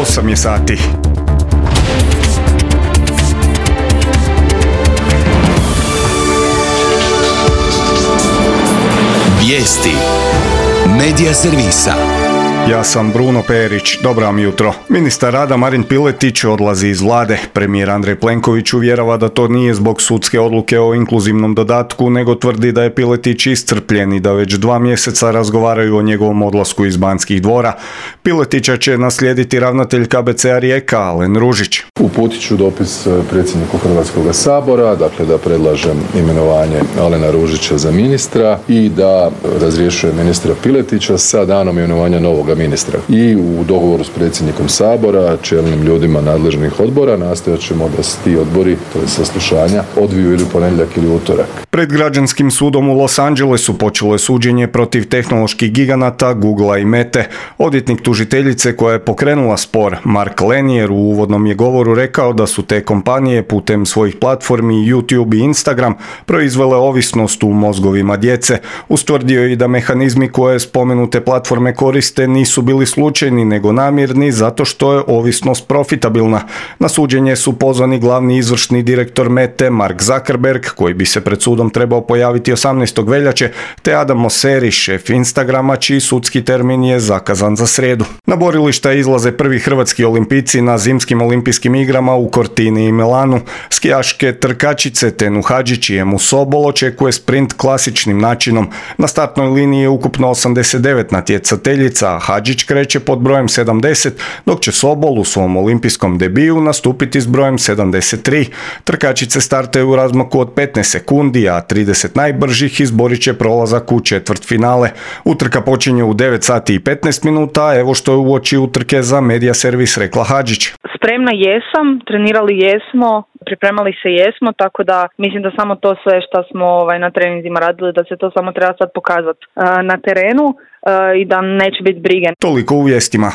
8 je sati. Vijesti Medija servisa. Ja sam Bruno Perić, dobro vam jutro. Ministar rada Marin Piletić odlazi iz vlade. Premijer Andrej Plenković uvjerava da to nije zbog sudske odluke o inkluzivnom dodatku, nego tvrdi da je Piletić iscrpljen i da već 2 mjeseca razgovaraju o njegovom odlasku iz Banskih dvora. Piletića će naslijediti ravnatelj KBC-a Rijeka, Alen Ružić. Uputit ću dopis predsjedniku Hrvatskog sabora, dakle da predlažem imenovanje Alena Ružića za ministra i da razrješuje ministra Piletića sa danom imenovanja novoga ministra. I u dogovoru s predsjednikom sabora, čelnim ljudima nadležnih odbora, nastojat ćemo da se ti odbori, to je saslušanja, odviju ili ponedjeljak ili utorak. Pred građanskim sudom u Los Angelesu počelo je suđenje protiv tehnoloških giganata Googlea i Mete. Odvjetnik tužiteljice koja je pokrenula spor, Mark Lanier, u uvodnom je govoru rekao da su te kompanije putem svojih platformi YouTube i Instagram proizvele ovisnost u mozgovima djece. Ustvrdio je i da mehanizmi koje spomenute platforme koriste nisu bili slučajni nego namjerni zato što je ovisnost profitabilna. Na suđenje su pozvani glavni izvršni direktor Mete Mark Zuckerberg, koji bi se pred sudom trebao pojaviti 18. veljače, te Adam Mosseri, šef Instagrama, čiji sudski termin je zakazan za srijedu. Na borilišta izlaze prvi hrvatski olimpijci na zimskim olimpijskim igrama u Cortini i Milanu. Skijaške trkačice Tenu Hadžić i Emu Sobol očekuje sprint klasičnim načinom. Na startnoj liniji je ukupno 89 natjecateljica, a Hadžić kreće pod brojem 70, dok će Sobol u svom olimpijskom debiju nastupiti s brojem 73. Trkačice startaju u razmaku od 15 sekundi, a 30 najbržih izborit će prolazak u četvrtfinale. Utrka počinje u 9 sati i 15 minuta, evo što je uoči utrke za Medija servis rekla Hadžić. Spremna jesam, trenirali jesmo, pripremali se jesmo, tako da mislim da samo to sve što smo na treninzima radili, da se to samo treba sad pokazati na terenu i da neće biti brige. Toliko u vijestima.